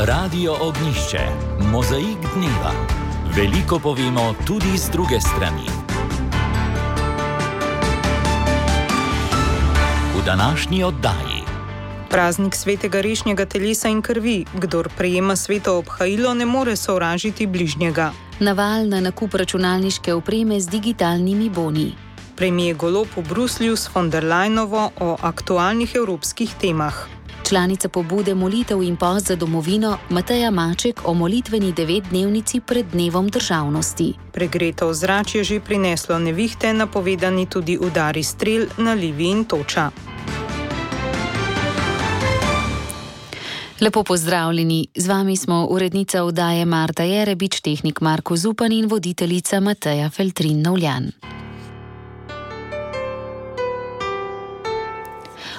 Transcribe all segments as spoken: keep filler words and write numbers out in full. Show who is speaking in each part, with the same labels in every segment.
Speaker 1: Radio Ognjišče, mozaik dneva. Veliko povemo tudi z druge strani. V današnji oddaji.
Speaker 2: Praznik svetega rešnjega telesa in krvi. Kdor prejema sveto obhajilo, ne more sovražiti bližnjega.
Speaker 3: Naval na nakup računalniške opreme z digitalnimi boni.
Speaker 2: Premier Golob v Bruslju s von der Leyenovo o aktualnih evropskih temah.
Speaker 3: Članica pobude Molitev in post za domovino Mateja Maček o molitveni devetdnevnici pred dnevom državnosti.
Speaker 2: Pregreto ozračje je že prineslo nevihte, napovedani tudi udari strel na Livi in Toča.
Speaker 3: Lepo pozdravljeni, z vami smo urednica oddaje Marta Jerebič, tehnik Marko Zupan in voditeljica Mateja Feltrin-Novljan.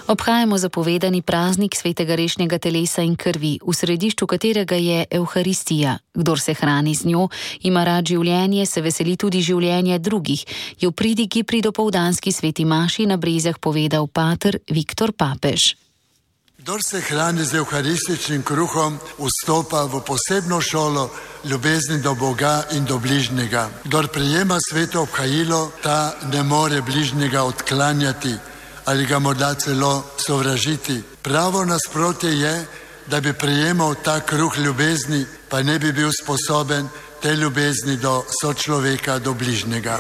Speaker 3: Obhajamo zapovedani praznik svetega rešnjega telesa in krvi, v središču katerega je Evharistija. Kdor se hrani z njo, ima rad življenje, se veseli tudi življenja drugih, je v pridigi pri dopoldanski sveti maši na Brezjah povedal pater Viktor Papež.
Speaker 4: Kdor se hrani z evharističnim kruhom, vstopa v posebno šolo ljubezni do Boga in do bližnjega. Kdor prejema sveto obhajilo, ta ne more bližnjega odklanjati ali ga morda celo sovražiti. Pravo nasprotje je, da bi prejemal ta kruh ljubezni, pa ne bi bil sposoben te ljubezni do sočloveka, do bližnjega.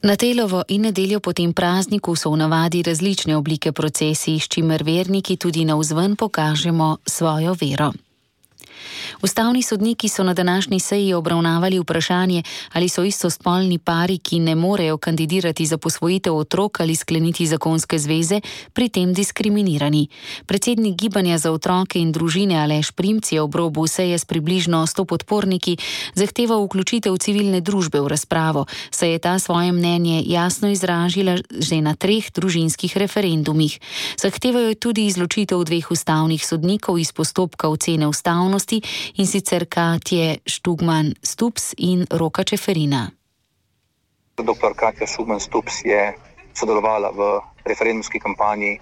Speaker 3: Na telovo in nedeljo po tem prazniku so v navadi različne oblike procesij, s čimer verniki tudi navzven pokažemo svojo vero. Ustavni sodniki so na današnji seji obravnavali vprašanje, ali so istospolni pari, ki ne morejo kandidirati za posvojitev otrok ali skleniti zakonske zveze, pri tem diskriminirani. Predsednik Gibanja za otroke in družine Aleš Primc je ob robu seje s približno sto podporniki zahteval vključitev civilne družbe v razpravo, saj je ta svoje mnenje jasno izražila že na treh družinskih referendumih. Zahtevajo tudi izločitev dveh ustavnih sodnikov iz postopka ocene ustavnosti, in sicer Katje Štugman-Stups in Roka Čeferina.
Speaker 5: Doktor Katja Štugman-Stups je sodelovala v referendumski kampanji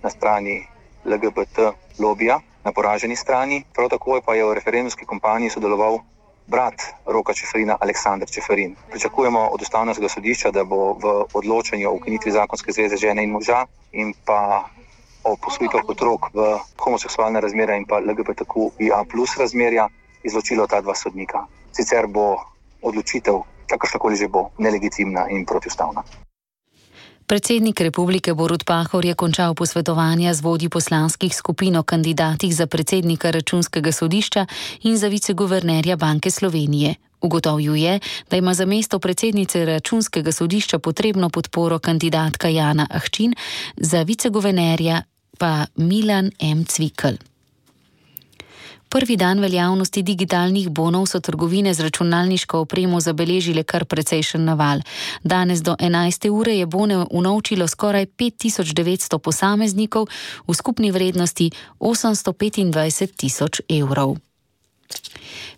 Speaker 5: na strani L G B T lobija, na poraženi strani. Prav tako pa je v referendumski kampanji sodeloval brat Roka Čeferina, Aleksander Čeferin. Pričakujemo od ustavnega sodišča, da bo v odločanju o ukinitvi zakonske zveze žene in moža in pa o posvojitev otrok v homoseksualne razmerja in pa L G B T Q I A plus razmerja izločilo ta dva sodnika. Sicer bo odločitev, kakršnakoli že bo, nelegitimna in protiustavna.
Speaker 3: Predsednik republike Borut Pahor je končal posvetovanja z vodji poslanskih skupin o kandidatih za predsednika računskega sodišča in za viceguvernerja Banke Slovenije. Ugotovil je, da ima za mesto predsednice računskega sodišča potrebno podporo kandidatka Jana Ahčin, za viceguvernerja pa Milan M. Cvikl. Prvi dan veljavnosti digitalnih bonov so trgovine z računalniško opremo zabeležile kar precejšen naval. Danes do enajste ure je bone unovčilo skoraj pet tisoč devetsto posameznikov v skupni vrednosti osemsto petindvajset tisoč evrov.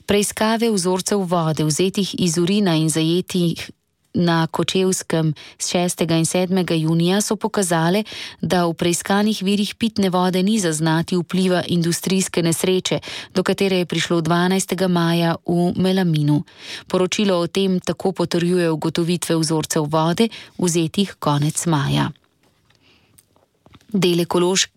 Speaker 3: Preiskave vzorcev vode, vzetih iz urina in zajetih na Kočevskem z šestega in sedmega junija, so pokazale, da v preiskanih virih pitne vode ni zaznati vpliva industrijske nesreče, do katere je prišlo dvanajstega maja v Melaminu. Poročilo o tem tako potrjuje ugotovitve vzorcev vode, vzetih konec maja. Dele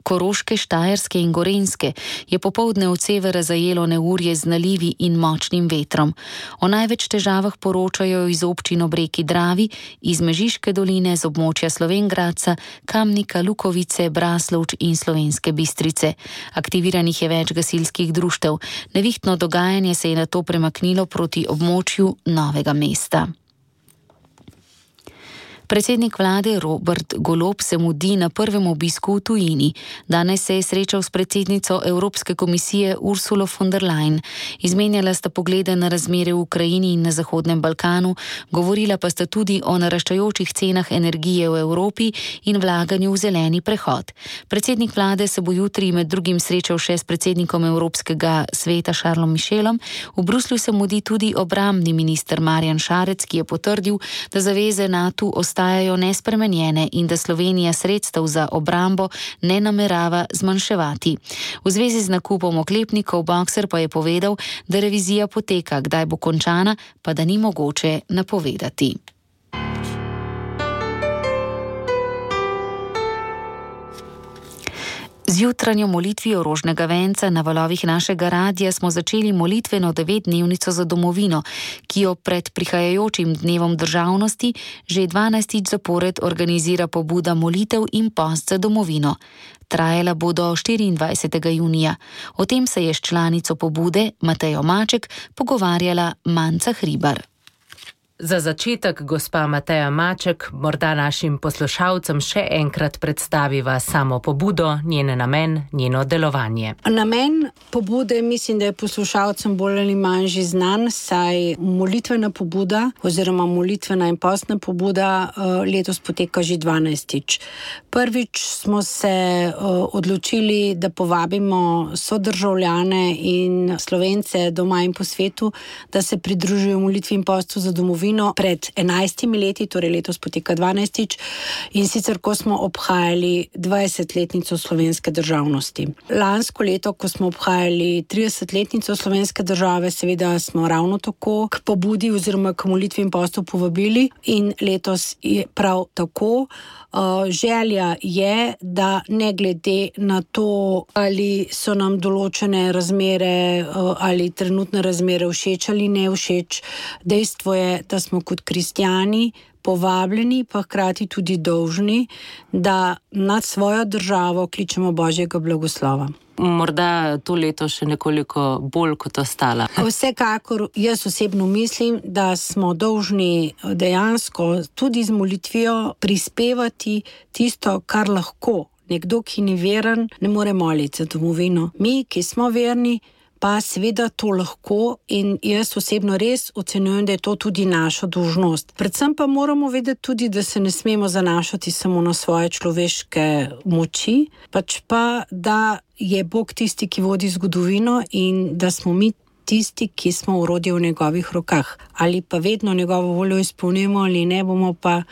Speaker 3: Koroške, Štajerske in Gorenjske je popoldne od severa zajelo neurje z nalivi in močnim vetrom. O največ težavah poročajo iz občin ob reki Dravi, iz Mežiške doline, z območja Slovenj Gradca, Kamnika, Lukovice, Braslovč in Slovenske Bistrice. Aktiviranih je več gasilskih društev. Nevihtno dogajanje se je nato premaknilo proti območju Novega mesta. Predsednik vlade Robert Golob se mudi na prvem obisku v tujini. Danes se je srečal s predsednico Evropske komisije Ursulo von der Leyen. Izmenjala sta poglede na razmere v Ukrajini in na Zahodnem Balkanu, govorila pa sta tudi o naraščajočih cenah energije v Evropi in vlaganju v zeleni prehod. Predsednik vlade se bo jutri med drugim srečal še s predsednikom Evropskega sveta Charlesom Michelom. V Bruslju se mudi tudi obrambni minister Marjan Šarec, ki je potrdil, da zaveze NATO ostajajo ostajajo nespremenjene in da Slovenija sredstev za obrambo ne namerava zmanjševati. V zvezi z nakupom oklepnikov Boxer pa je povedal, da revizija poteka, kdaj bo končana, pa da ni mogoče napovedati. Z jutranjo molitvijo rožnega venca na valovih našega radia smo začeli molitveno devetdnevnico za domovino, ki jo pred prihajajočim dnevom državnosti že dvanajstič zapored organizira pobuda molitev in post za domovino. Trajala bo do štiriindvajsetega junija. O tem se je s članico pobude Matejo Maček pogovarjala Manca Hribar.
Speaker 6: Za začetek, gospa Mateja Maček, morda našim poslušalcem še enkrat predstaviva samo pobudo, njen namen, njeno delovanje.
Speaker 7: Namen pobude mislim, da je poslušalcem bolj ali manj že znan, saj molitvena pobuda oziroma molitvena in postna pobuda letos poteka že dvanajstič. Prvič smo se odločili, da povabimo sodržavljane in Slovence doma in po svetu, da se pridružijo molitvi in postu za domovino pred enajstimi leti, torej letos poteka dvanajstič, in sicer ko smo obhajali dvajsetletnico slovenske državnosti. Lansko leto, ko smo obhajali tridesetletnico slovenske države, seveda smo ravno tako k pobudi oziroma k molitvi in postu povabili in letos je prav tako. Želja je, da ne glede na to, ali so nam določene razmere ali trenutne razmere všeč ali ne všeč, dejstvo je, da smo kot kristjani povabljeni, pa hkrati tudi dolžni, da nad svojo državo kličemo Božjega blagoslova.
Speaker 6: Morda to leto še nekoliko bolj kot ostala.
Speaker 7: Vsekakor jaz osebno mislim, da smo dolžni dejansko tudi z molitvijo prispevati tisto, kar lahko. Nekdo, ki ni veren, ne more moliti za domovino. Mi, ki smo verni, pa seveda to lahko in jaz osebno res ocenjujem, da je to tudi naša dolžnost. Predvsem pa moramo vedeti tudi, da se ne smemo zanašati samo na svoje človeške moči, pač pa, da je Bog tisti, ki vodi zgodovino in da smo mi tisti, ki smo orodje v njegovih rokah. Ali pa vedno njegovo voljo izpolnimo ali ne, bomo pa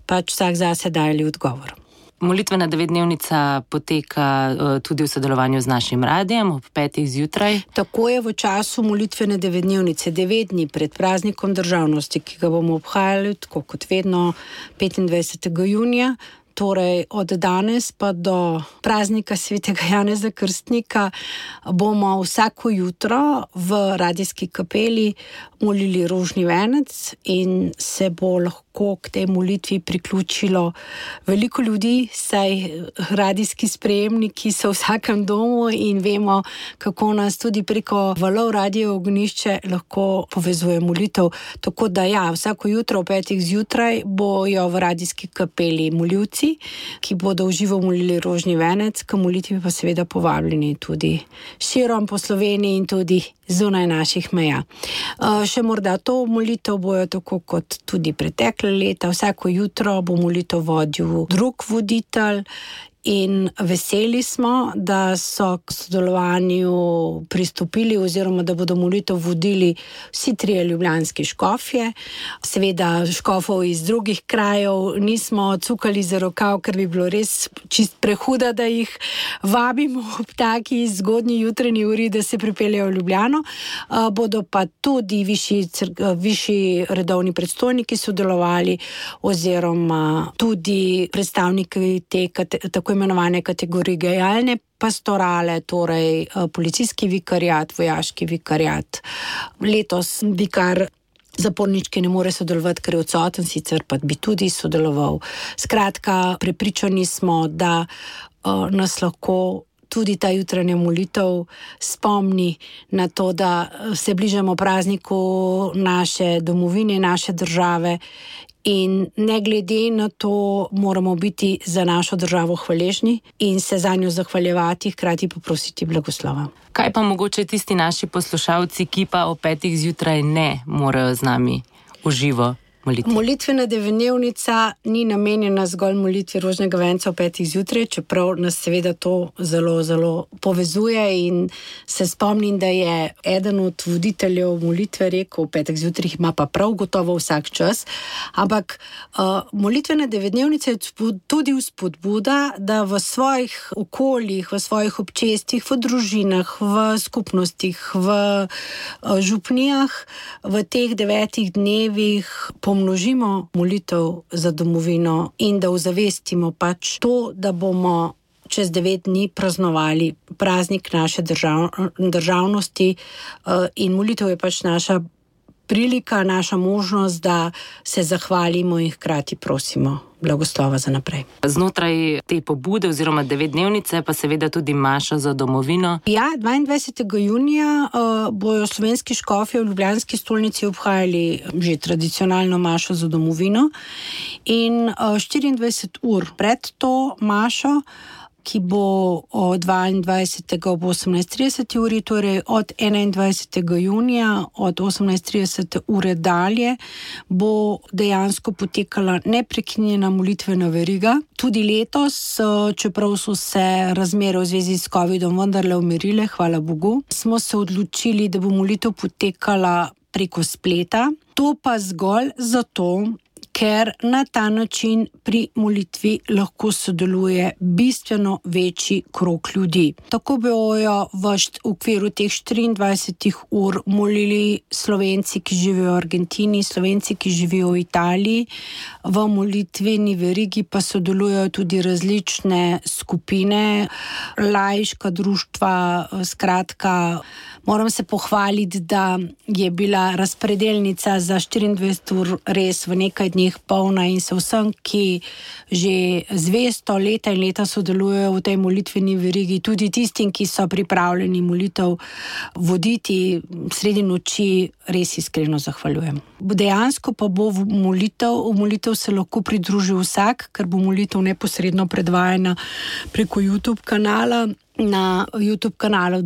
Speaker 7: pač vsak zase dajali odgovor.
Speaker 6: Molitvena devetdnevnica poteka uh, tudi v sodelovanju z našim radijem ob petih zjutraj.
Speaker 7: Tako je v času molitvene devetdnevnice, devet dni pred praznikom državnosti, ki ga bomo obhajali, tako kot vedno, petindvajsetega junija. Torej od danes pa do praznika svetega Janeza Krstnika bomo vsako jutro v radijski kapeli molili rožni venec in se bo lahko k tej molitvi priključilo veliko ljudi, saj radijski sprejemniki so v vsakem domu in vemo, kako nas tudi preko valov Radio Ognjišče lahko povezuje molitev. Tako da ja, vsako jutro ob petih zjutraj bojo v radijski kapeli moljivci, ki bodo v živo molili rožni venec, k molitvi pa seveda povabljeni tudi širom po Sloveniji in tudi zunaj naših meja. Še morda to molitev bojo tako kot tudi pretekle leta. Vsako jutro bo molitev vodil drug voditelj in veseli smo, da so k sodelovanju pristopili oziroma da bodo molitev vodili vsi trije ljubljanski škofje. Seveda škofov iz drugih krajev nismo cukali za rokav, ker bi bilo res čist prehuda, da jih vabimo ob taki zgodnji jutranji uri, da se pripeljejo v Ljubljano. Bodo pa tudi višji, višji redovni predstojniki sodelovali oziroma tudi predstavniki te tako imenovane kategorije gajalne pastorale, torej policijski vikariat, vojaški vikariat. Letos vikar zapornički ne more sodelovati, ker je odsoten, sicer pa bi tudi sodeloval. Skratka, prepričani smo, da uh, nas lahko tudi ta jutranja molitev spomni na to, da se bližamo prazniku naše domovine, naše države. In ne glede na to moramo biti za našo državo hvaležni in se za njo zahvaljevati, hkrati pa prositi blagoslova.
Speaker 6: Kaj pa mogoče tisti naši poslušalci, ki pa o petih zjutraj ne morejo z nami v živo? molitvi?
Speaker 7: Molitvena devetdnevnica ni namenjena zgolj molitvi rožnega venca ob petih zjutraj, čeprav nas seveda to zelo, zelo povezuje in se spomnim, da je eden od voditeljev molitve rekel, v petih zjutraj ima pa prav gotovo vsak čas, ampak uh, molitvena devetdnevnica je tudi vzpodbuda, da v svojih okoljih, v svojih občestvih, v družinah, v skupnostih, v uh, župnijah, v teh devetih dnevih pomnožimo molitev za domovino in da ozavestimo pač to, da bomo čez devet dni praznovali praznik naše držav, državnosti uh, in molitev je pač naša prilika, naša možnost, da se zahvalimo in hkrati prosimo blagoslova za naprej.
Speaker 6: Znotraj te pobude oziroma devetdnevnice pa seveda tudi maša za domovino.
Speaker 7: Ja, dvaindvajsetega junija uh, bojo slovenski škofje v ljubljanski stolnici obhajali že tradicionalno mašo za domovino in uh, štiriindvajset ur pred to mašo, ki bo od dvaindvajsetega ob osemnajst trideset uri, torej od enaindvajsetega junija od osemnajst trideset ure dalje, bo dejansko potekala neprekinjena molitvena veriga. Tudi letos, čeprav so se razmere v zvezi s covidom vendarle umirile, hvala Bogu, smo se odločili, da bo molitev potekala preko spleta. To pa zgolj zato, ker na ta način pri molitvi lahko sodeluje bistveno večji krog ljudi. Tako bojo v okviru teh štiriindvajsetih ur molili Slovenci, ki živijo v Argentini, Slovenci, ki živijo v Italiji. V molitveni verigi pa sodelujejo tudi različne skupine, laiška društva, skratka, moram se pohvaliti, da je bila razpredelnica za štiriindvajset ur res v nekaj dni polna in se vsem, ki že zvesto leta in leta sodelujejo v tej molitveni verigi, tudi tistim, ki so pripravljeni molitev voditi sredi noči, res iskreno zahvaljujem. Dejansko pa bo v molitev, v molitev se lahko pridruži vsak, ker bo molitev neposredno predvajana preko YouTube kanala, na YouTube kanalu,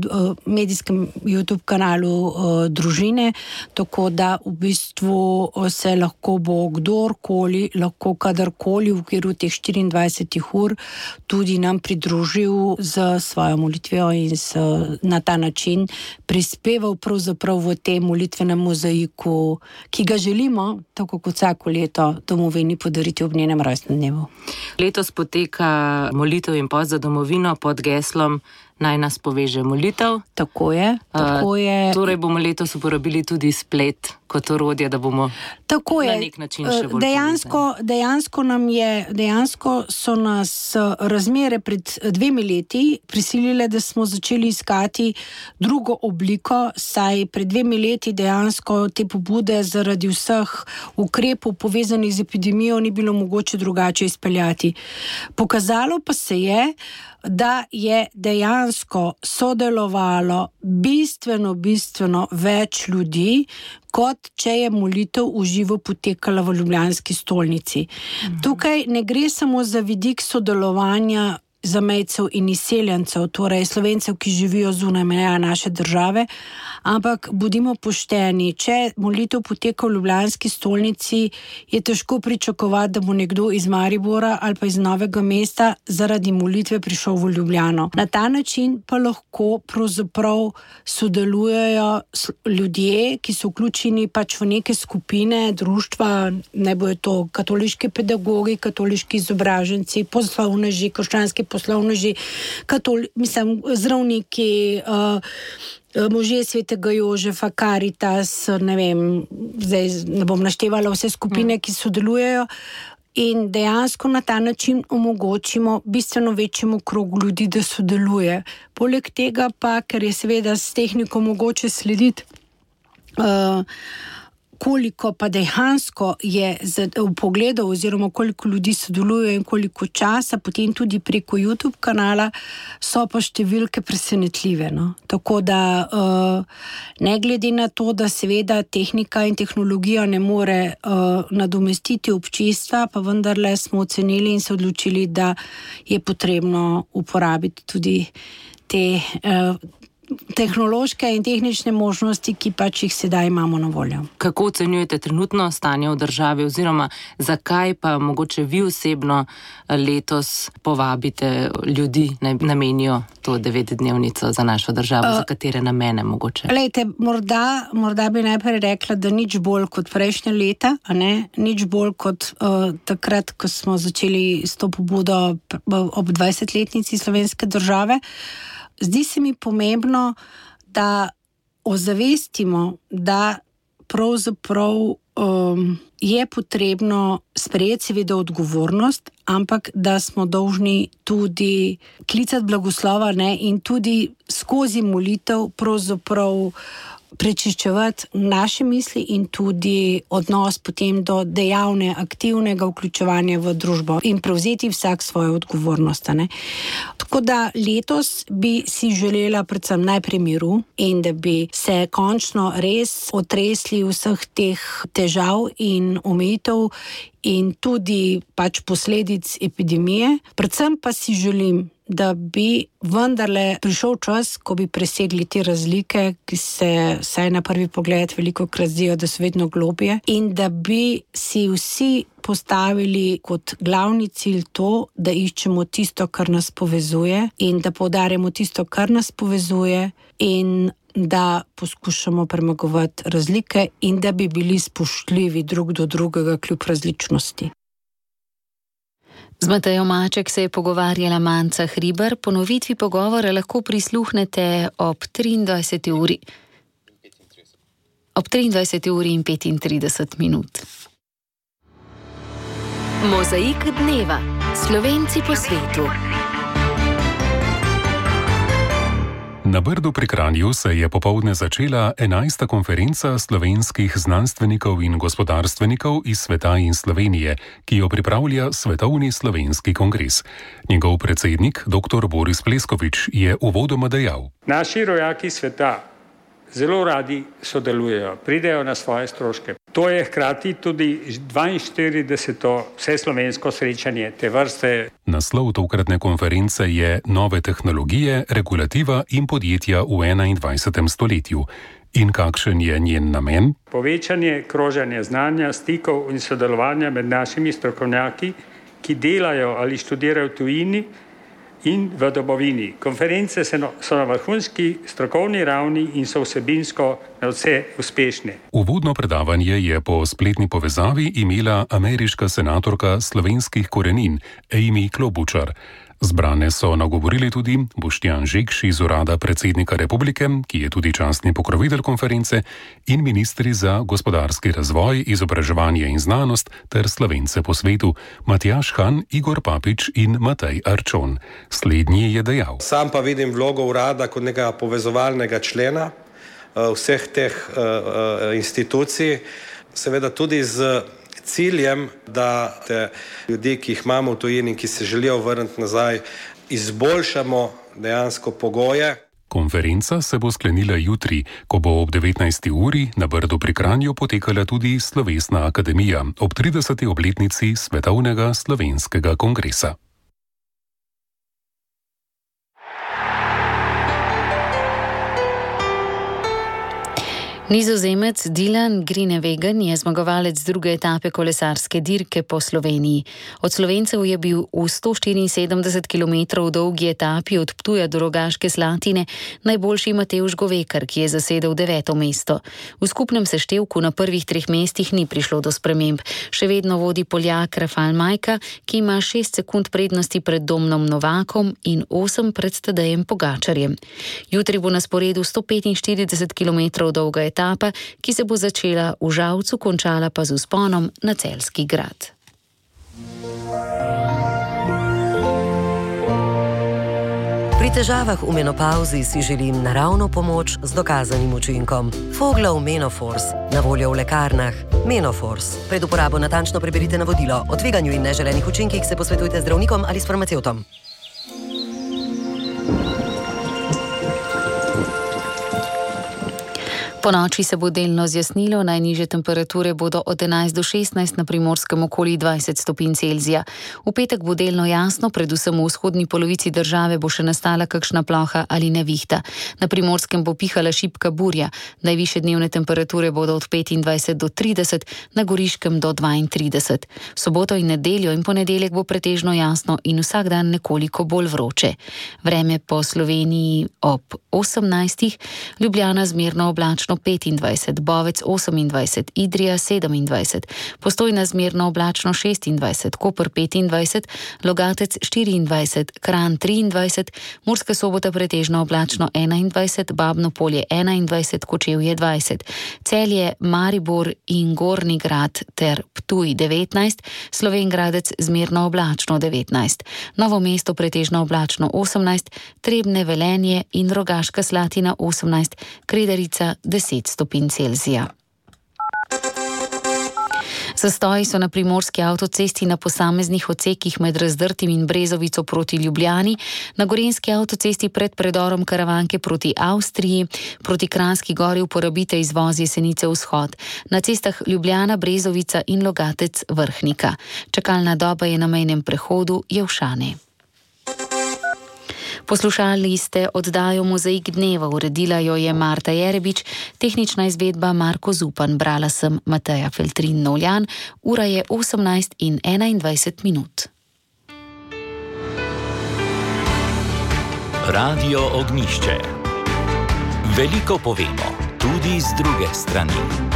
Speaker 7: medijskem YouTube kanalu družine, tako da v bistvu se lahko bo kdorkoli, lahko kadarkoli v okviru teh štiriindvajsetih ur tudi nam pridružil z svojo molitvijo in s, na ta način prispeval pravzaprav v tem molitvenem mozaiku, ki ga želimo, tako kot vsako leto, domovini podariti ob njenem rojstnem dnevu.
Speaker 6: Letos poteka molitev in post za domovino pod geslom Naj nas poveže molitev.
Speaker 7: Tako je, tako je.
Speaker 6: Uh, torej bomo letos uporabili tudi splet kot orodje, da bomo
Speaker 7: tako
Speaker 6: na
Speaker 7: je.
Speaker 6: nek način še bolj
Speaker 7: dejansko, dejansko nam je, dejansko so nas razmere pred dvemi leti prisilile, da smo začeli iskati drugo obliko, saj pred dvemi leti dejansko te pobude zaradi vseh ukrepov povezanih z epidemijo ni bilo mogoče drugače izpeljati. Pokazalo pa se je, da je dejansko sodelovalo bistveno, bistveno več ljudi, kot če je molitev v živo potekala v ljubljanski stolnici. Mhm. Tukaj ne gre samo za vidik sodelovanja zamejcev in izseljencev, torej Slovencev, ki živijo zunaj meja naše države, ampak bodimo pošteni, če molitev poteka v ljubljanski stolnici, je težko pričakovati, da bo nekdo iz Maribora ali pa iz Novega mesta zaradi molitve prišel v Ljubljano. Na ta način pa lahko pravzaprav sodelujejo ljudje, ki so vključeni pač v neke skupine, društva, ne bojo to katoliški pedagogi, katoliški izobraženci, poslovneži, krščanski poslovneži, katoli, mislim, zdravniki, uh, možje svetega Jožefa, Karitas, ne vem, zdaj ne bom naštevala vse skupine, ki sodelujejo in dejansko na ta način omogočimo bistveno večjemu krogu ljudi, da sodeluje. Poleg tega pa, ker je seveda s tehniko mogoče slediti, uh, koliko pa dejansko je v pogledu oziroma koliko ljudi sodeluje in koliko časa, potem tudi preko YouTube kanala, so pa številke presenetljive. No? Tako da ne glede na to, da seveda tehnika in tehnologija ne more nadomestiti občestva, pa vendarle smo ocenili in se odločili, da je potrebno uporabiti tudi te tehnološke in tehnične možnosti, ki pač jih sedaj imamo na voljo.
Speaker 6: Kako ocenjujete trenutno stanje v državi oziroma zakaj pa mogoče vi osebno letos povabite ljudi, naj namenijo to devetdnevnico za našo državo, uh, za katere namene mogoče?
Speaker 7: Glejte, morda, morda bi najprej rekla, da nič bolj kot prejšnje leta, a ne, nič bolj kot uh, takrat, ko smo začeli s to pobudo ob dvajsetletnici slovenske države. Zdi se mi pomembno, da ozavestimo, da pravzaprav um, je potrebno sprejeti seveda odgovornost, ampak da smo dolžni tudi klicati blagoslova, ne, in tudi skozi molitev pravzaprav prečiščevati naše misli in tudi odnos potem do dejavne, aktivnega vključevanja v družbo in prevzeti vsak svojo odgovornost. Ne. Tako da letos bi si želela predvsem najprej miru in da bi se končno res otresli vseh teh težav in omejitev in tudi pač posledic epidemije. Predvsem pa si želim, da bi vendarle prišel čas, ko bi presegli te razlike, ki se vsaj na prvi pogled veliko krat zdijo, da so vedno globje, in da bi si vsi postavili kot glavni cilj to, da iščemo tisto, kar nas povezuje in da poudarjamo tisto, kar nas povezuje in da poskušamo premagovati razlike in da bi bili spoštljivi drug do drugega kljub različnosti.
Speaker 3: Z Matejo Maček se je pogovarjala Manca Hribar. Ponovitvi pogovora lahko prisluhnete ob triindvajseti uri. Ob triindvajseti uri in petintrideset minut. Mozaik dneva. Slovenci po svetu.
Speaker 8: Na Brdu pri Kranju se je popoldne začela enajsta konferenca slovenskih znanstvenikov in gospodarstvenikov iz sveta in Slovenije, ki jo pripravlja Svetovni slovenski kongres. Njegov predsednik, dr. Boris Pleskovič, je uvodoma dejal:
Speaker 9: Naši rojaki sveta zelo radi sodelujejo, pridejo na svoje stroške. To je hkrati tudi dvainštirideseto vseslovensko srečanje te vrste.
Speaker 8: Naslov tokratne konference je Nove tehnologije, regulativa in podjetja v enaindvajsetem stoletju. In kakšen je njen namen?
Speaker 9: Povečanje kroženja znanja, stikov in sodelovanja med našimi strokovnjaki, ki delajo ali študirajo v tujini in v domovini. Konference so na vrhunski strokovni ravni in so vsebinsko nadvse uspešne.
Speaker 8: Uvodno predavanje je po spletni povezavi imela ameriška senatorka slovenskih korenin Amy Klobučar. Zbrane so nagovorili tudi Boštjan Žekš iz urada predsednika republike, ki je tudi častni pokrovitelj konference, in ministri za gospodarski razvoj, izobraževanje in znanost ter Slovence po svetu Matjaž Han, Igor Papič in Matej Arčon. Slednji je dejal:
Speaker 10: Sam pa vidim vlogo urada kot nekega povezovalnega člena vseh teh institucij, seveda tudi z ciljem, da te ljudi, ki jih imamo v tujini, ki se želijo vrniti nazaj, izboljšamo dejansko pogoje.
Speaker 8: Konferenca se bo sklenila jutri, ko bo ob devetnajsti uri na Brdu pri Kranju potekala tudi Slovesna akademija ob trideseti obletnici Svetovnega slovenskega kongresa.
Speaker 3: Nizozemec Dylan Groenewegen je zmagovalec druge etape kolesarske dirke po Sloveniji. Od Slovencev je bil v sto štiriinsedemdeset kilometrov dolgi etapi od Ptuja do Rogaške Slatine najboljši Matevž Govekar, ki je zasedel deveto mesto. V skupnem seštevku na prvih treh mestih ni prišlo do sprememb. Še vedno vodi Poljak Rafal Majka, ki ima šest sekund prednosti pred Domnom Novakom in osem pred Tadejem Pogačarjem. Jutri bo na sporedu sto petinštirideset kilometrov dolga etapa, etapa, ki se bo začela v Žalcu, končala pa z vzponom na Celjski grad.
Speaker 11: Pri težavah v menopauzi si želim naravno pomoč z dokazanim učinkom. Foglov Menofors, na voljo v lekarnah. Menofors. Pred uporabo natančno preberite navodilo. O tveganju in neželenih učinkih se posvetujte z zdravnikom ali s farmacevtom.
Speaker 3: Po noči se bo delno zjasnilo, najnižje temperature bodo od enajst do šestnajst, na Primorskem okoli dvajset stopinj Celzija. V petek bo delno jasno, predvsem v vzhodni polovici države bo še nastala kakšna ploha ali nevihta. Na Primorskem bo pihala šibka burja, najvišje dnevne temperature bodo od petindvajset do trideset, na Goriškem do dvaintrideset. V soboto in nedeljo in ponedeljek bo pretežno jasno in vsak dan nekoliko bolj vroče. Vreme po Sloveniji ob osemnajstih, Ljubljana zmerno oblačno petindvajset, Bovec osemindvajset, Idrija sedemindvajset, Postojna zmerno oblačno šestindvajset, Koper petindvajset, Logatec štiriindvajset, Kranj triindvajset, Murska Sobota pretežno oblačno enaindvajset, Babno Polje enaindvajset, Kočevje dvajset, Celje, Maribor in Gornji Grad ter Ptuj devetnajst, Slovenj Gradec zmerno oblačno devetnajst, Novo mesto pretežno oblačno osemnajst, Trebnje, Velenje in Rogaška Slatina osemnajst, Kredarica deset stopinj Celzija. Zastoji so na primorski avtocesti na posameznih odsekih med Razdrtim in Brezovico proti Ljubljani, na gorenjski avtocesti pred predorom Karavanke proti Avstriji, proti Kranjski Gori uporabite izvoz Jesenice vzhod, na cestah Ljubljana, Brezovica in Logatec Vrhnika. Čakalna doba je na mejnem prehodu Jelšane. Poslušali ste oddajo Mozaik dneva, uredila jo je Marta Jerebič, tehnična izvedba Marko Zupan, brala sem Mateja Feltrin Novljan, ura je osemnajst in enaindvajset minut.
Speaker 1: Radio Ognjišče. Veliko povemo, tudi z druge strani.